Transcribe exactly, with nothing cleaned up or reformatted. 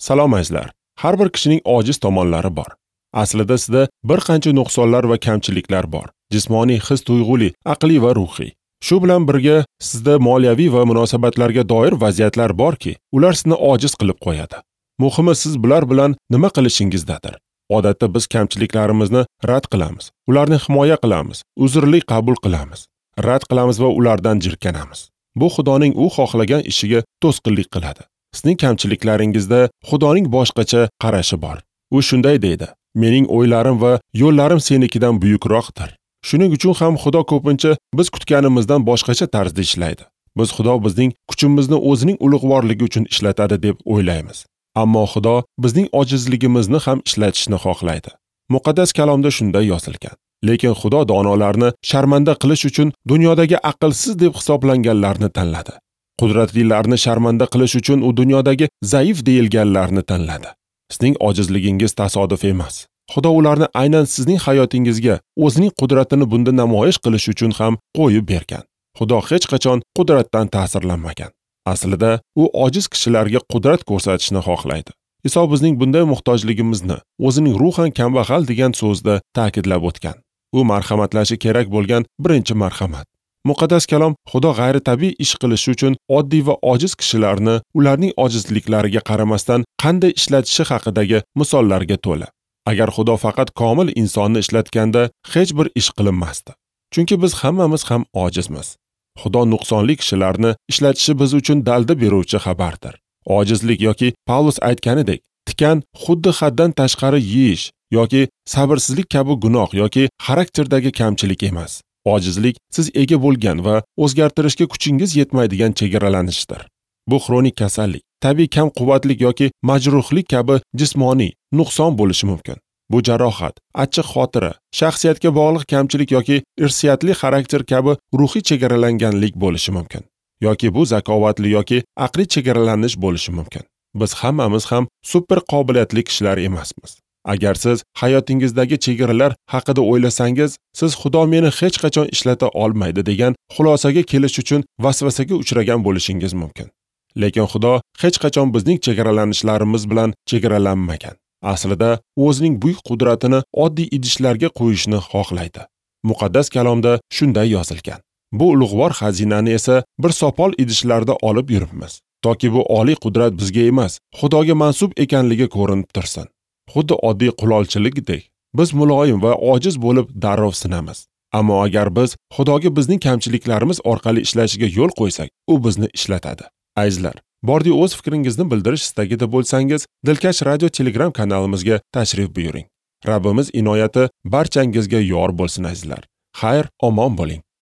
Salom azizlar. Har bir kishining ojiz tomonlari bor. Aslida sizda bir qancha nuqsonlar va kamchiliklar bor. Jismoniy, his-tuyg'uli, aqliy va ruhiy. Shu bilan birga sizda moliyaviy va munosabatlarga doir vaziyatlar borki, ular sizni ojiz qilib qo'yadi. Muhimi siz bular bilan nima qilishingizdadir. Odatda biz kamchiliklarimizni rad qilamiz, ularni himoya qilamiz, uzrli qabul qilamiz, rad qilamiz va ulardan jirkanamiz. Bu Xudoning u xohlagan ishiga to'sqinlik qiladi. Sizning kamchiliklaringizda Xudoning boshqacha qarashi bor. U shunday deydi: "Mening o'ylarim va yo'llarim senikidan buyukroqdir." Shuning uchun ham Xudo ko'pincha biz kutganimizdan boshqacha tarzda ishlaydi. Biz Xudo bizning kuchimizni o'zining ulug'vorligi uchun ishlatadi deb o'ylaymiz. Ammo Xudo bizning ojizligimizni ham ishlatishni xohlaydi. Muqaddas kalomda shunday yozilgan: Lekin Xudo donolarni sharmanda qilish uchun dunyodagi aqlsiz deb hisoblanganlarni tanladi. Qudratlilarni sharmanda qilish uchun u dunyodagi zaif deyilganlarni tanladi. Sizning ojizligingiz tasodif emas. Xudo ularni aynan sizning hayotingizga o'zining qudratini bunda namoyish qilish uchun ham qo'yib bergan. Xudo hech qachon qudratdan ta'sirlanmagan. Aslida u ojiz kishilarga qudrat ko'rsatishni xohlaydi. Iso bizning bunday muhtojligimizni o'zining ruhan kambag'al degan so'zda ta'kidlab o'tgan. U marhamatlashi kerak bo'lgan birinchi marhamat. Muqaddas kalom Xudo g'ayritabiiy ish qilishi uchun oddiy va ojiz kishilarni ularning ojizliklariga qaramasdan qanday ishlatishi haqidagi misollarga to'la. Agar Xudo faqat komil insonni ishlatganda hech bir ish qilinmasdi. Chunki biz hammamiz ham ojizmiz. Xudo nuqsonli kishilarni ishlatishi biz uchun dalda beruvchi xabardir. Ojizlik yoki Pavlus aytganidek, tikan xuddi haddan tashqari yeyish yoki sabrsizlik kabi gunoh yoki xarakterdagi kamchilik emas. Ojizlik siz ega bo'lgan va o'zgartirishga kuchingiz yetmaydigan chegaralanishdir. Bu xronik kasallik, tabiiy kam quvvatlik yoki majruhlik kabi jismoniy nuqson bo'lishi mumkin. Bu jarohat, achchiq xotira, shaxsiyatga bog'liq kamchilik yoki irsiyatli xarakter kabi ruhiy chegaralanganlik bo'lishi mumkin. Yoki bu zakovatli yoki aqliy chegaralanish bo'lishi mumkin. Biz hammamiz ham super qobiliyatli kishilar emasmiz. Agar siz hayotingizdagi chegaralar haqida o'ylasangiz, siz Xudo meni hech qachon ishlata olmaydi degan xulosaga kelish uchun vasvasaga uchragan bo'lishingiz mumkin. Lekin Xudo hech qachon bizning chegaralanishlarimiz bilan chegaralanmagan. Aslida o'zining buyuk qudratini oddiy idishlarga qo'yishni xohlaydi. Muqaddas kalomda shunday yozilgan: Bu ulug'vor xazinani esa bir sopol idishlarda olib yuribmiz, toki bu oliy qudrat bizga emas, Xudoga mansub ekanligi ko'rinib tursin. Xuddi oddiy qulolchilikdek, biz muloyim va ojiz bo'lib darrov sinamiz. Ammo agar biz Xudoga bizning kamchiliklarimiz orqali ishlashiga yo'l qo'ysak, u bizni ishlatadi. Azizlar, bordi o'z fikringizni bildirish istagida bo'lsangiz, Dilkash radio Telegram kanalimizga tashrif buyuring. Rabbimiz inoyati barchangizga yor bo'lsin azizlar. Xayr, omon bo'ling.